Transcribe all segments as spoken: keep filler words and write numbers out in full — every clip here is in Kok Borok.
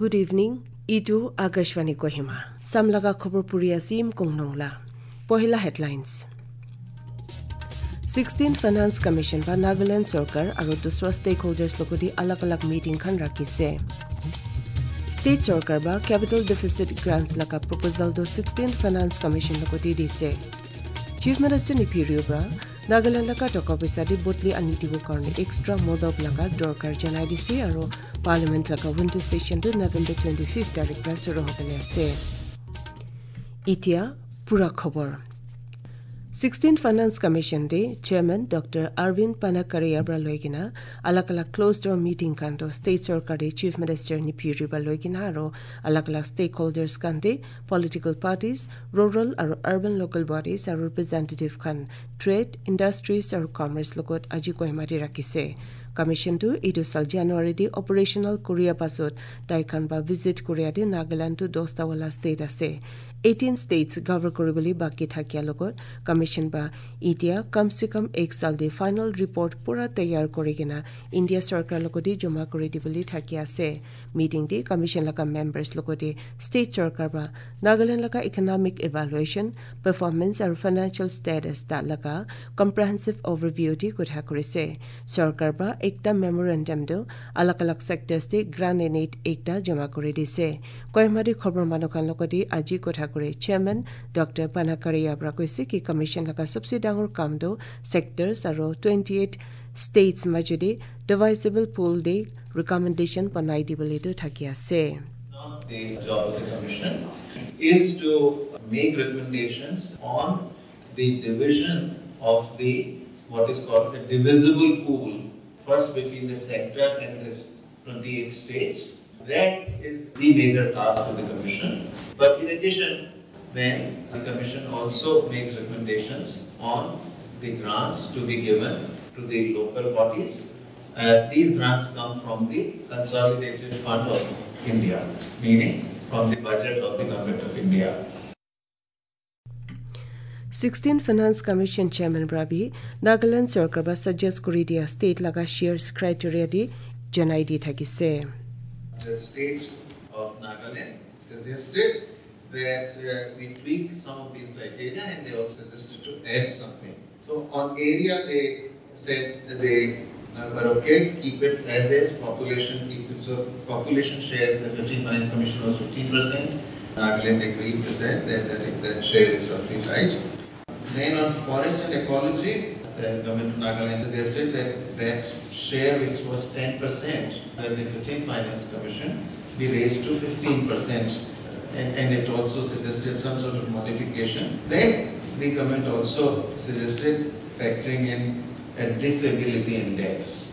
Good evening, itu Akashvani Kohima. Samlaga khobor puri asim kong nongla. Pohila headlines. Sixteenth Finance Commission ba Nagaland Sorkar aro dusra stakeholders logodi alag alag meeting khan rakhi se. State Sorkar ba capital deficit grants laga proposal do Sixteenth Finance Commission logodi di se. Chief Minister ni phirwi ba Nagaland laga toka pisa di botli ani dibo karne extra modop laga dorkar janai di se aro Parliament laga winter session do November twenty-fifth tarik ra suru hobele ase. Itia pura khobor. Sixteenth Finance Commission de Chairman Doctor Arvind Panakariya bra loigina alag alag closed door meeting kanto State Sorkar de Chief Minister ni phirwi ba loigina aro alag alag stakeholders kante political parties, rural aro urban local bodies aro representative khan trade, industries aro commerce logot aji Kohima di rakhi se. Commission tu idu sal January di operational Korea pasot daikan ba visit Korea di Nagaland tu dosta wala state ase. Eighteen states cover koriboli baki thakia logot commission ba itia kam se kam ek sal di final report pura tayar korigena India Sorkar logodi joma kori diboli thakia ase. Meeting di commission laga members logodi state sorkar ba Nagaland laga economic evaluation, performance aro financial status ta laga comprehensive overview di kotha kori se. Sorkar ba ekta memorandum do alag alag sectors di grant in aid ekta joma kori di se. Kohima di khobor mano khan logodi aji kotha kori chairman Doctor Panakariya bra koi se ki commission laga sabse dangor kam do sectors aro twenty-eight states majodi divisible pool di recommendation panai di bole do thakia se. Not the job of the commission is to make recommendations on the division of the, what is called the divisible pool, first between the sector and this twenty-eight states. That is the major task of the commission. But in addition, then the commission also makes recommendations on the grants to be given to the local bodies. Uh, these grants come from the Consolidated Fund of India, meaning from the budget of the Government of India. Sixteen Finance Commission Chairman bra bi Nagaland Sorkar ba suggest kori dia state laga shares criteria di janai di thaki se. The state of Nagaland suggested that, uh, we tweak some of these criteria, and they also suggested to add something. So on area, they said that they, uh, were okay, keep it as is, population, keep it, so population share, the fifteen Finance Commission was fifteen percent. Nagaland agreed with that, that, that, that share is roughly right. Then on forest and ecology, the government of Nagaland suggested that that share, which was ten percent under the fifteenth Finance Commission, be raised to fifteen percent. And, and it also suggested some sort of modification. Then the government also suggested factoring in a disability index.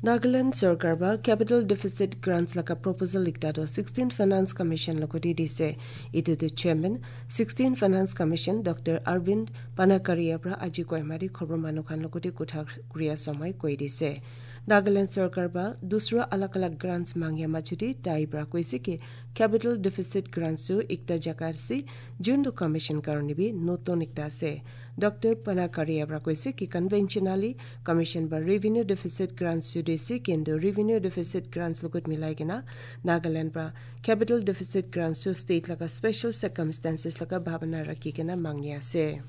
Nagaland Sorkar ba capital deficit grants laga proposal ekta do sixteenth Finance Commission logodi di se. Itu tu chairman sixteenth Finance Commission Doctor Arvind Panakariya bra aji Kohima di khobor mano khan logodi kotha kori ya somoi koi di se. Nagaland Sorkar ba dusra alag alag grants mangya majodi tai bra koi se ki capital deficit grants su ekta jaga se jun do commission karoni bi noton ekta se. Doctor Panakariya bra koi se ki conventionally commission ba revenue deficit grants su de se kendo revenue deficit grants logot milai gena Nagaland ba capital deficit grants su state laga special circumstances laga bhabana rakhi gena mangya se.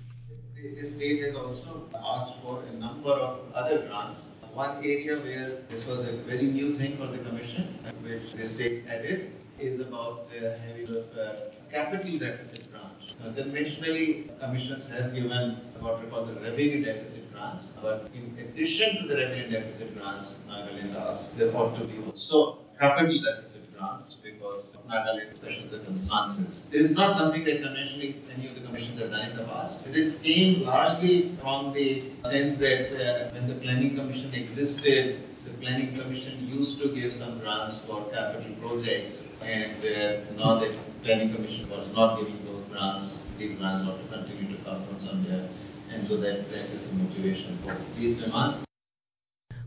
The state has also asked for a number of other grants. One area where this was a very new thing for the commission, which the state added, is about, uh, having a, uh, capital deficit grant. Now, conventionally, commissions have given what we call the revenue deficit grants, but in addition to the revenue deficit grants, Nagaland asked, there ought to be also capital deficit grants because of Nagaland special circumstances. This is not something that conventionally any of the commissions have done in the past. This came largely from the sense that, uh, when the planning commission existed, the planning commission used to give some grants for capital projects, and, uh, now that planning commission was not giving those grants, these grants ought to continue to come from somewhere, and so that, that is the motivation for these demands.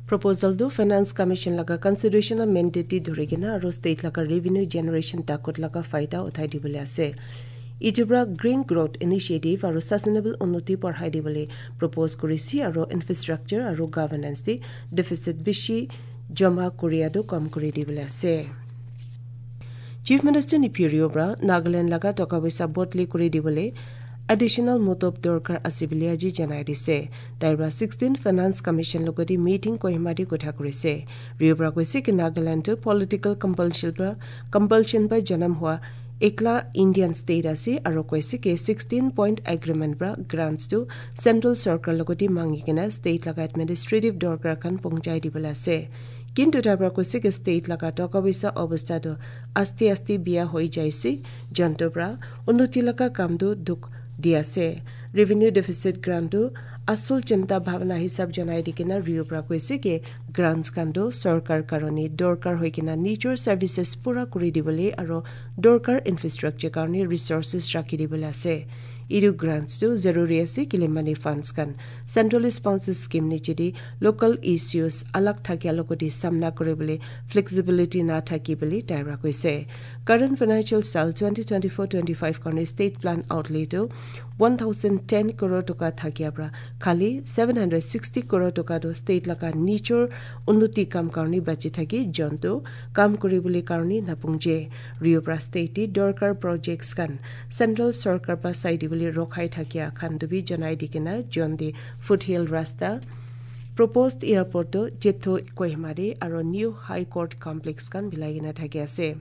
Proposal do Finance Commission laga constitutional mandate di dhurigena aro state laga revenue generation takut laga faida uthai dibole ase. Itubra Green Growth Initiative aro Sustainable Unnoti porhai dibole propose kuri si aro infrastructure aro governance di deficit bishi joma korea do kom kuri dibole ase. Chief Minister ni phirio bra Nagaland laga toka bisa botli kuri dibole additional motop dorkar asibili aji janai rise. Taibra sixteen Finance Commission logodi meeting Kohima di kotha kuri se. Rio bra koise ke Nagaland to political compulsion ba, compulsion ba janam hua ekla Indian state ase aro koise ke sixteen point agreement bra grants to central sarkar logodi mangi kena state laga administrative dorkar khan pongjai dibole ase. Kintu tabra koise ke state laga toka bisa obostha do aste aste biya hoi jaise, janto bra unnoti laga kam do duk diase. Revenue deficit grant do asol chinta bhabna hisab janai dikena Rio bra koise ke grants khan do sarkar karoni dorkar hoi kena nature services pura kuri dibole aro dorkar infrastructure karoni resources rakhi dibole ase. Iru grants tu zaruri ase kilimani funds khan central sponsor scheme ni chidi local issues alag thakya logodi samna kore bole flexibility na thaki bole taibra koise. Current financial sal twenty twenty-four twenty-five karni state plan outlay tu one thousand ten crore toka thakya bra khali seven hundred sixty crore toka do state laga nature unnoti kam karni bachi thaki jontu kam kore bole karni napungje. Rio bra state ti dorkar projects khan central sarkar ba saidi bole rokhai thakya khan dubi janai dikena jondi foothill rasta, proposed airport do jetho Kohima di aro new high court complex khan bilai gena thaki ase.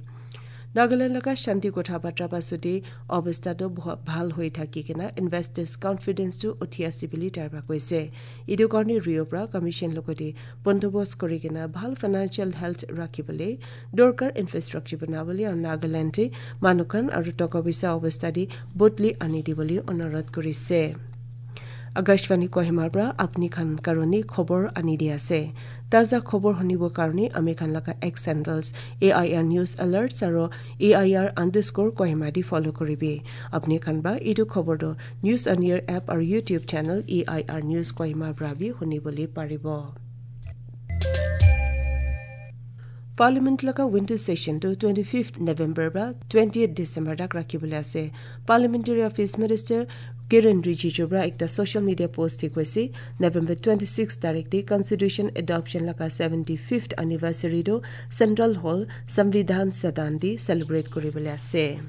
Nagaland laga shanti kotha batra ba suti obostha do bha-, bhal hoi thaki kena investors confidence tu uthi ase bili taibra koise. Idu karni Rio bra commission logodi bondobos kori kena bhal financial health rakhi bole dorkar infrastructure bana bole aro Nagaland te manukhan aro toka bisa obostha di botli ani di bole onorot kori se. Akashvani Kohima bra apni khan karoni khobor ani di ase. Taza khobor honibo karoni ami khan laga X handles A I R News Alerts aro A I R underscore Kohima di follow koribi. Apni khan ba idu khobor do News on Air app aro YouTube channel A I R News Kohima bra bi honi boli paribo. Parliament laga winter session to twenty-fifth November ba twentieth December dak rakhi bole ase. Parliamentary Affairs Minister Kiren Rijiju bra ekta social media post hi koise, November twenty-six tarik di Constitution adoption laga seventy-fifth anniversary do Central Hall Samvidhan Sadan di celebrate kori bole ase.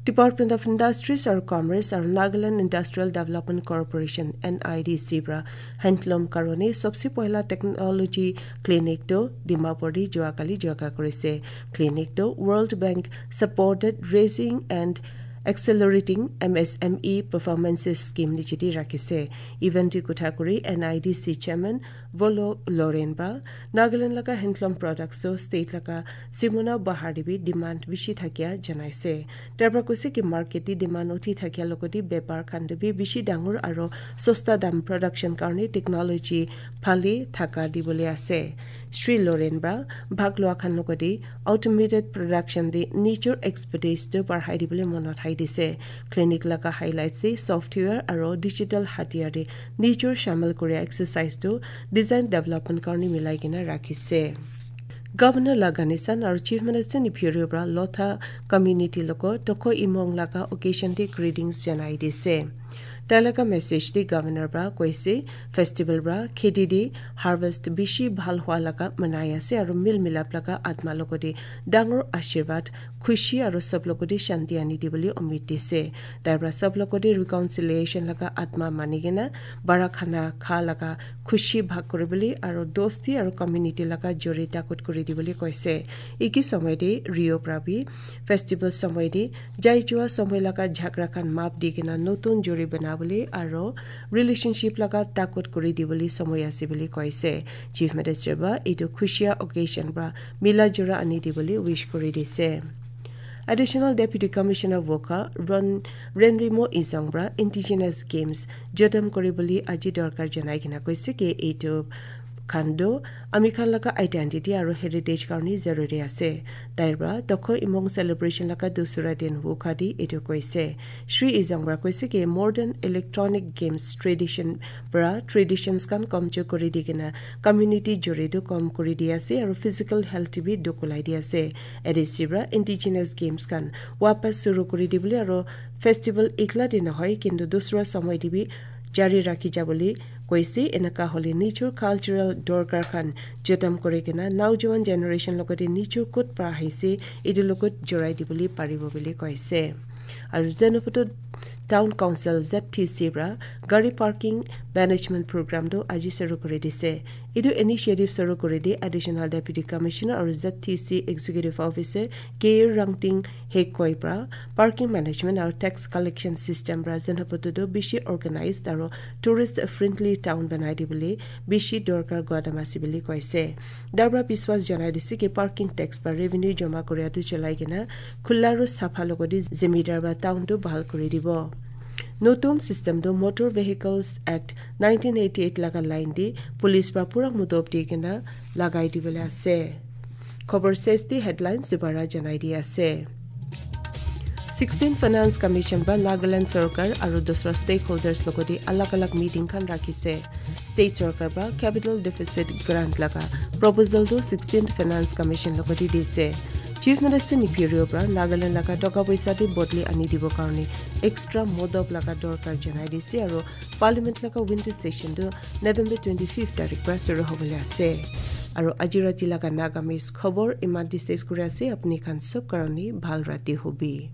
Department of Industries or Commerce or Nagaland Industrial Development Corporation, N I D C bra handloom karoni sobse poila technology clinic do Dimapur di juakali juaka korise. Clinic do World Bank supported raising and accelerating M S M E performances scheme ni chiti rakise. Event di kuthakuri N I D C chairman Volo Loren ba Nagaland laga handloom products o state laga simuna bahar dibi demand bishi thakia janaise. Terba kusi ki market di demand uthi thakia lokodi bepar khandubi bishi dangur aro sosta dam production karni technology phali thaka dibole ase. Shri Loren ba bhaglua khan lokodi automated production di nature expertise to parhai dibole mono thai dise. Clinic laga highlights di software aro digital hatiar di nature shamil korea exercise to design development karni milai gina rakhise. Governor Lagani San aro Chief Minister ni Phirio bra Lotha community loko toko imong laga occasion di greetings janai dise. Talaga message di Governor bra koise festival bra khedi di harvest bishi bhal hua laga manai ase aro mil milap laga atma loko di dangor ashirwad khushi aro sob loko di shanti ani di boli omit dise. Taibra sob loko di reconciliation laga atma manigena bara khana kha laga khushi bhag kuri boli aro dosti aro community laga jori takut kuri di boli koise. Iki somoi di Rio Prabi festival somoi di jai jua somoi laga jhagra khan map di gena notun jori bana boli aro relationship laga takut kuri di boli somoi ase boli koise. Chief Minister ba itu khushia occasion ba mila jora ani di boli wish kuri dise. Additional Deputy Commissioner Wokha Ron Renrimo Izong bra Indigenous Games jotom kori boli aji dorkar janai gena koise ke itu khando ami khan laga identity aro heritage karni zaruri ase. Taibra tokho imong celebration laga dusura din Wokha di itu koise. Shri Izong bra koise ke modern electronic games tradition bra traditions kan komcho kori di gena community jori do kom kori di ase aro physical health bi dokulai di ase. A D C bra indigenous games kan wapas suru kori di bole aro festival ikla din hoi kintu dusra somoi di bi jari rakhi ja bole Koise enaka holi nichur cultural dorkar khan jotam kore kena naujuan generation logode nichur kut pra haise idu logot jorai di boli paribo boli koise. Aru Zanaputo Town Council Z T C bra gari parking management program do aji suru kore dise. Idu initiative suru kore di Additional Deputy Commissioner aru Z T C Executive Officer K Rangting Hekoi bra parking management aru tax collection system bra Zanaputo do bishi organized aru tourist friendly town banai di boli bishi dorkar godamasi boli koise. Dabra biswas janai disi ki parking tax ba revenue joma kore atu chalai gena khullaru sapha logodi zimidar ba town do bahal kore dibo. Notun system do Motor Vehicles Act nineteen eighty-eight laga line di police ba pura mudob di gena lagai di bole ase. Khobor sesti headlines dubara janai di ase. Sixteen Finance Commission ba Nagaland Sarkar aru dusra stakeholders logodi alag alag meeting khan rakhi se. State Sarkar ba capital deficit grant laga proposal do sixteenth Finance Commission logodi di se. Chief Minister Neiphiu Rio bra Nagaland laga doka poisa di bodli ani dibo karni extra modob laga dorkar janai di se aru Parliament laga winter session do November twenty-fifth tarik ba suru hobole ase. Aru ajirati laga Nagamese khobor imat di ses kure ase apni khan sob karoni bhal rati hobi.